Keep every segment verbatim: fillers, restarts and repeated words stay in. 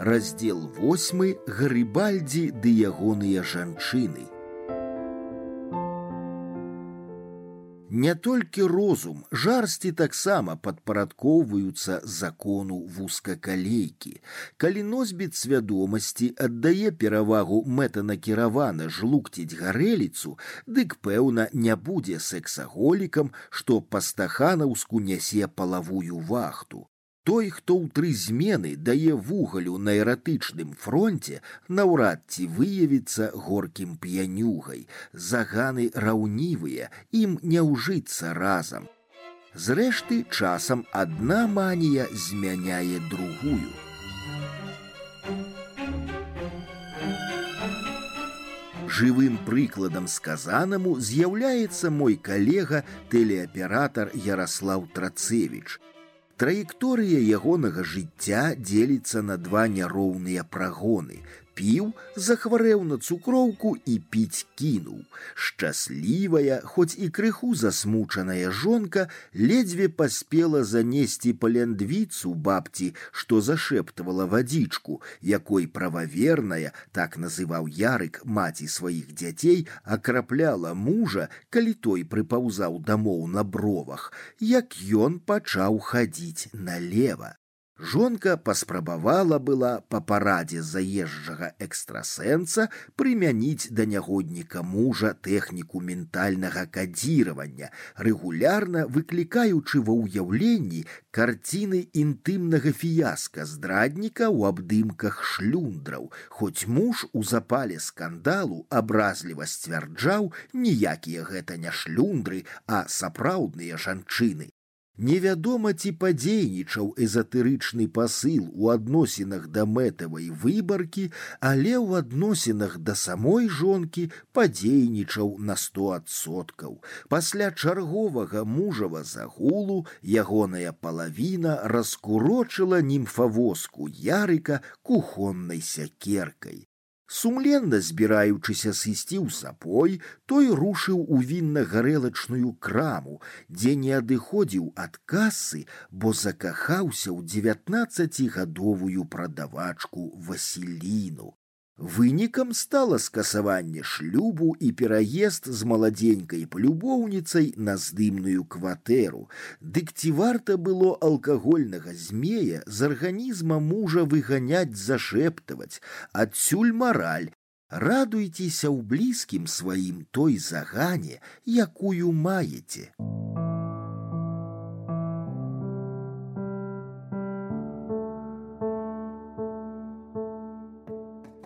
Раздзел восьмы. Гарыбальдзі ды ягоныя жанчыны. Не толькі розум, жарсці таксама падпарадкоўваюцца закону вузкакалейкі. Калі носьбіт свядомасці аддае перавагу мэтанакіравана жлукціць гарэліцу, дык, пэўна, не будзе сэксаголікам, што па-стаханаўску нясе палавую вахту. Той, хто ў тры змены дае вугалю на эратычным фронце, наўрад ці выявіцца горкім п'янюгай. Заганы раўнівыя, ім не ўжыцца разам. Зрэшты, часам адна манія змяняе другую. Жывым прыкладам сказанаму з'яўляецца мой калега, тэлеаператар Яраслаў Трацевіч. Траекторыя ягонага жыцця дзеліцца на два няроўныя прагоны. Піў, захварэў на цукроўку і піць кінуў. Шчаслівая, хоць і крыху засмучаная жонка ледзьве паспела занесці паляндвіцу бабці, што зашэптвала вадзічку, якой прававерная, так называў Ярык маці сваіх дзяцей, акрапляла мужа, калі той прыпаўзаў дамоў на бровах, як ён пачаў хадзіць налева. Жонка паспрабавала была па парадзе заезджага экстрасэнса прымяніць да нягодніка мужа тэхніку ментальнага кадзіравання, рэгулярна выклікаючы ва ўяўленні карціны інтымнага фіяска здрадніка ў абдымках шлюндраў, хоць муж у запале скандалу абразліва сцвярджаў, ніякія гэта не шлюндры, а сапраўдныя жанчыны. Невядома, ці падзейнічаў эзатэрычны пасыл у адносінах да мэтавай выбаркі, але ў адносінах да самой жонкі падзейнічаў на сто адсоткаў. Пасля чарговага мужава загулу ягоная палавіна раскурочыла німфавозку Ярыка кухоннай сякеркай. Сумленна збіраючыся сысці ў сапой, той рушыў у вінна-гарэлачную краму, дзе не адыходзіў ад касы, бо закахаўся ў дзевятнаццацігадовую прадавачку Васіліну. Вынікам стала скасаванне шлюбу і пераезд з маладзенькай палюбоўніцай на здымную кватэру. Дык ці варта было алкагольнага змея з арганізма мужа выганяць, зашэптаваць? Адсюль мараль. Радуйцеся ў блізкім сваім той загане, якую маеце.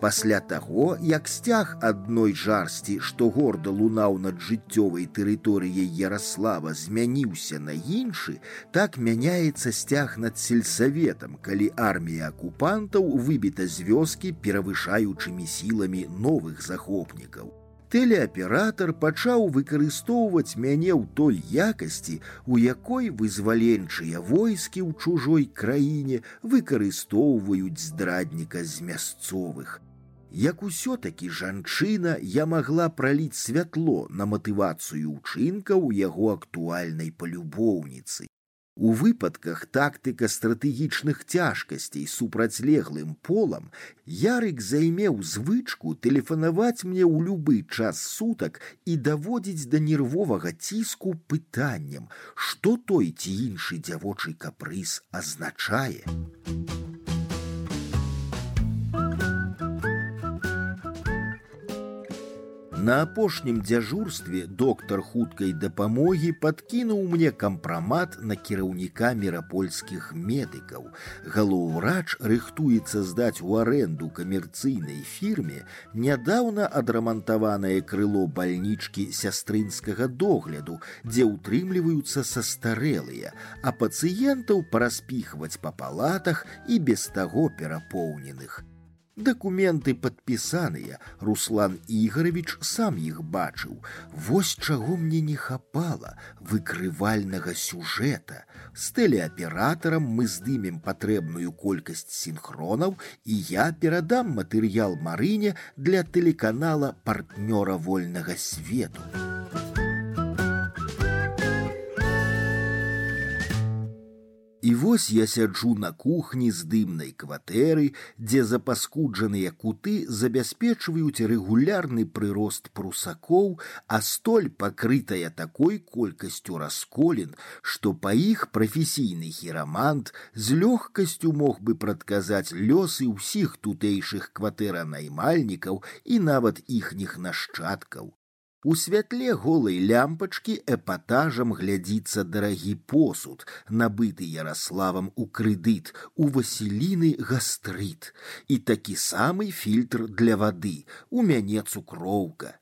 Пасля таго, як сцяг адной жарсці, што горда лунаў над жыццёвай тэрыторыяй Яраслава, змяніўся на іншы, так мяняецца сцяг над сельсаветам, калі армія акупантаў выбіта з вёскі перавышаючымі сіламі новых захопнікаў. Тэлеаператар пачаў выкарыстоўваць мяне ў той якасці, у якой вызваленчыя войскі ў чужой краіне выкарыстоўваюць здрадніка з мясцовых. Як усё-такі жанчына, я магла праліць святло на матывацыю ўчынкаў яго актуальнай палюбоўніцы. У выпадках тактыка стратэгічных цяжкасцей супрацьлеглым полам Ярык займеў звычку тэлефанаваць мне ў любы час сутак і даводзіць да нервовага ціску пытаннем, што той ці іншы дзявочы капрыз азначае. На апошнім дзяжурстве доктар хуткай дапамогі падкінуў мне кампрамат на кіраўніка мірапольскіх медыкаў. Галоўврач рыхтуецца здаць у арэнду камерцыйнай фірме нядаўна адрамантаванае крыло бальнічкі сястрынскага догляду, дзе ўтрымліваюцца састарэлыя, а пацыентаў параспіхваць па палатах і без таго перапоўненых. Дакументы падпісаныя, Руслан Ігорович сам іх бачыў. Вось чаго мне не хапала выкрывальнага сюжэта. З тэлеаператарам мы здымем патрэбную колькасць сінхронаў, і я перадам матэрыял Марыне для тэлеканала партнёра вольнага свету. І вось я сяджу на кухні з дымнай кватэры, дзе запаскуджаныя куты забяспечваюць рэгулярны прырост прусакоў, а столь пакрытая такой колькасцю расколін, што па іх прафесійны хірамант з лёгкасцю мог бы прадказаць лёсы ўсіх тутэйшых кватэранаймальнікаў і нават іхніх нашчадкаў. У святле голай лямпачкі эпатажам глядзіцца дарагі посуд, набыты Яраславам у крэдыт, у Васіліны гастрыт, і такі самы фільтр для вады, у мяне цукроўка.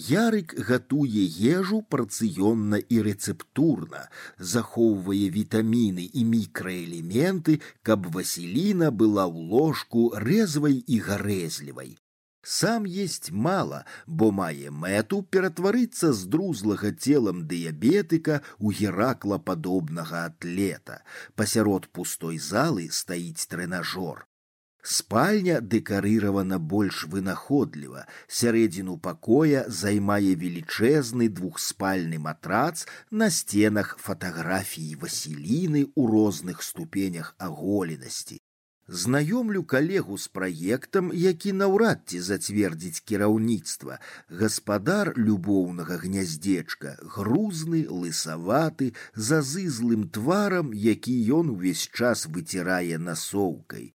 Ярык гатуе ежу парцыённа і рэцэптурна, захоўвае вітаміны і мікраэлементы, каб Васіліна была ў ложку рэзвай і гарэзлівай. Сам есть мало, бо мае мэту ператварыцца з друзлага целам дыябетыка ў гераклападобнага атлета. Пасярод пустой залы стаіць трэнажор. Спальня дэкарыравана больш вынаходліва. Сярэдзіну пакоя займае велічэзны двухспальны матрац, на сценах фатаграфіі Васіліны ў розных ступенях аголенасці. Знаёмлю калегу з праектам, які наўрад ці зацвердзіць кіраўніцтва. Гаспадар любоўнага гняздзечка, грузны, лысаваты, з азызлым тварам, які ён увесь час выцірае насоўкай.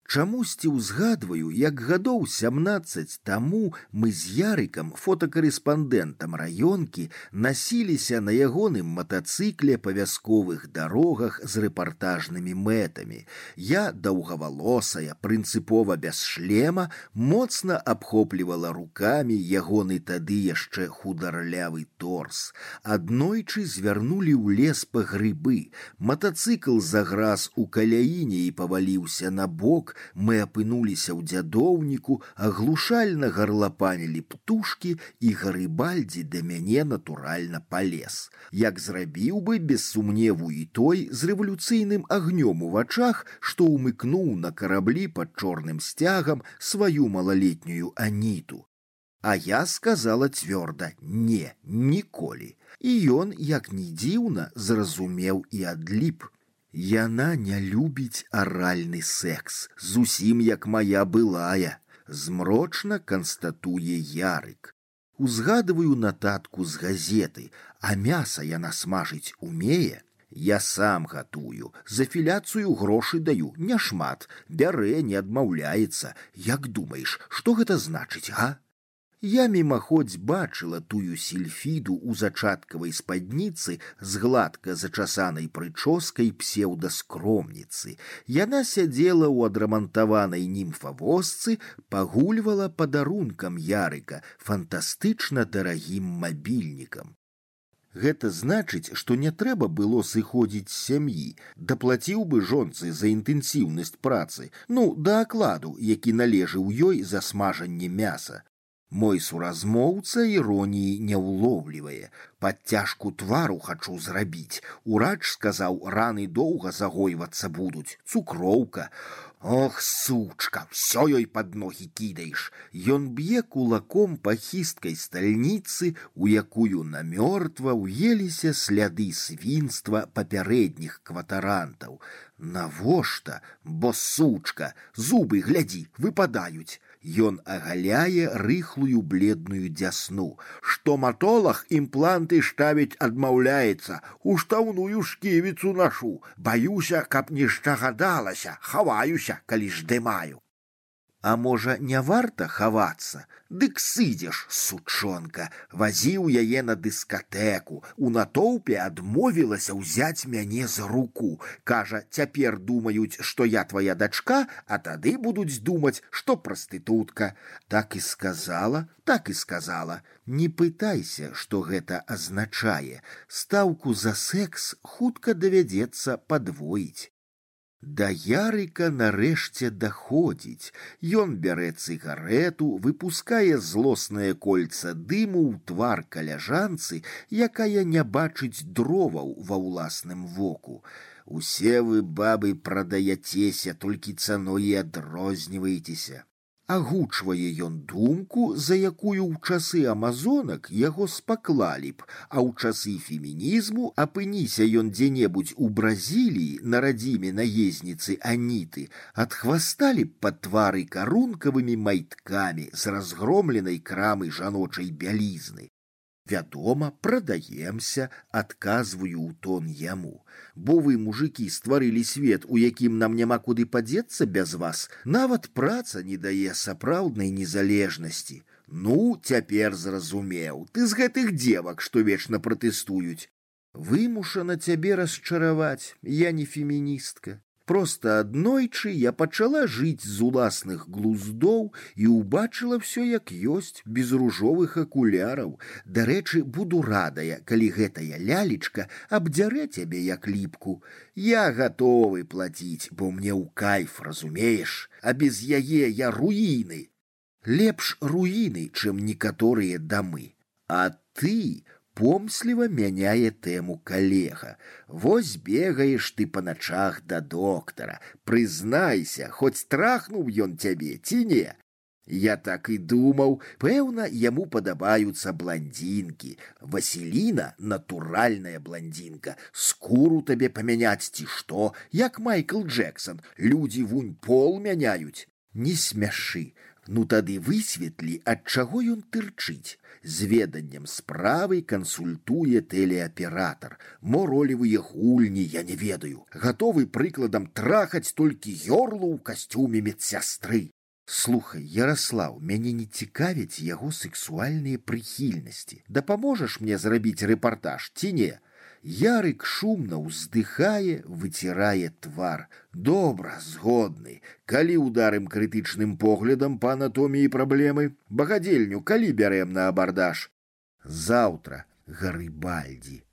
Чамусьці ўзгадваю, як гадоў сямнаццаць таму мы з Ярыкам, фотакарэспандэнтам раёнкі, насіліся на ягоным матацыкле па вясковых дарогах з рэпартажнымі мэтамі. Я, даўгавалосая, прынцыпова без шлема, моцна абхоплівала рукамі ягоны тады яшчэ хударлявы торс. Аднойчы звярнулі ў лес па грыбы. Матацыкл заграз у каляіне і паваліўся на бок. Мы апынуліся ў дзядоўніку, аглушальна гарлапанілі птушкі, і Гарыбальдзі да мяне натуральна палез. Як зрабіў бы, без сумневу, і той з рэвалюцыйным агнём у вачах, што ўмыкнуў на караблі пад чорным сцягам сваю малалетнюю Аніту. А я сказала цвёрда: не, ніколі. І ён, як ні дзіўна, зразумеў і адліп. Яна не любіць аральны секс, зусім як моя былая, змрочна канстатуе Ярык. Узгадываю нататку з газеты, а мяса яна смажыць умее. Я сам гатую, за філяцыю грошы даю, няшмат, бярэ, не адмаўляецца. Як думаеш, што гэта значыць, га? Я мімаходзь бачыла тую сільфіду ў зачаткавай спадніцы з гладка зачасанай прычоскай псеўдаскромніцы. Яна сядзела ў адрамантаванай німфавозцы, пагульвала падарункам Ярыка, фантастычна дарагім мабільнікам. Гэта значыць, што не трэба было сыходзіць з сям'і, даплаціў бы жонцы за інтэнсіўнасць працы, ну, да акладу, які належыў ёй за смажанне мяса. Мой суразмоўца іроніі не ўлоўлівае. Падцяжку твару хачу зрабіць. Урач сказаў, раны доўга загойвацца будуць. Цукроўка. Ох, сучка, всё ёй пад ногі кідаеш. Ён б'е кулаком па хісткай стальніцы, у якую намёртва ўеліся сляды свінства папярэдніх кватарантаў. Навошта? Бо сучка, зубы, глядзі, выпадаюць. Ён агаляе рыхлую бледную дзясну. Стоматолог імпланты ставіць адмаўляецца. Уштаўную шківіцу нашу. Баюся, каб не здагадалася, хаваюся, калі здымаю. А можа, не варта хавацца? Дык сыдзеш, сучонка, вазіў яе на дыскатэку, у натоўпе адмовілася ўзяць мяне за руку. Кажа, цяпер думаюць, што я твая дачка, а тады будуць думаць, што прастытутка. Так і сказала, так і сказала. Не пытайся, што гэта азначае. Стаўку за секс хутка давядзецца падвоіць. Да Ярыка нарэшце даходзіць. Ён бярэ цыгарэту, выпускае злоснае кольца дыму ў твар каляжанцы, якая не бачыць дроваў ва ўласным воку. Усе вы, бабы, прадаяцеся, толькі цаной і адрозніваецеся. Агучвае ён думку, за якую ў часы амазонак яго спаклалі б, а ў часы фемінізму апыніся ён дзе-небудзь у Бразіліі на радзіме наездніцы Аніты, адхвасталі б пад твары карункавымі майткамі з разгромленай крамы жаночай бялізны. Вядома, прадаемся, адказваю ў тон яму. Бо вы, мужыкі, стварылі свет, у якім нам няма куды падзецца без вас. Нават праца не дае сапраўднай незалежнасці. Ну, цяпер зразумеў, ты з гэтых дзевак, што вечна пратэстуюць. Вымушана цябе расчараваць, я не феміністка. Проста аднойчы я пачала жыць з уласных глуздоў і ўбачыла ўсё як ёсць, без ружовых акуляраў. Дарэчы, буду радая, калі гэтая лялечка абдзярэ цябе як ліпку. Я гатовы плаціць, бо мне ў кайф, разумееш, а без яе я руіны. Лепш руіны, чым некаторыя дамы. А ты... Помсліва мяняе тэму калега. Вось бегаеш ты па начах да доктара. Прызнайся, хоць трахнуў ён цябе, ці не? Я так і думаў, пэўна, яму падабаюцца бландзінкі. Васіліна — натуральная бландзінка. Скуру табе памяняць ці што, як Майкл Джексон. Людзі вунь пол мяняюць. Не смяшы. Ну тады высветлі, ад чаго ён тырчыць. З веданнем справы кансультуе тэлеаператар. Мо ролевыя гульні, я не ведаю. Гатовы прыкладам трахаць толькі ёрлу ў касцюме медсястры. Слухай, Яраслаў, мяне не цікавяць яго сексуальныя прыхільнасці. Дапаможаш мне зрабіць рэпартаж, ці не? Ярык шумна ўздыхае, выцірае твар. Добра, згодны. Калі ударым крытычным поглядам па анатоміі праблемы? Багадзельню калі бярэм на абардаж? Заўтра, Гарыбальдзі.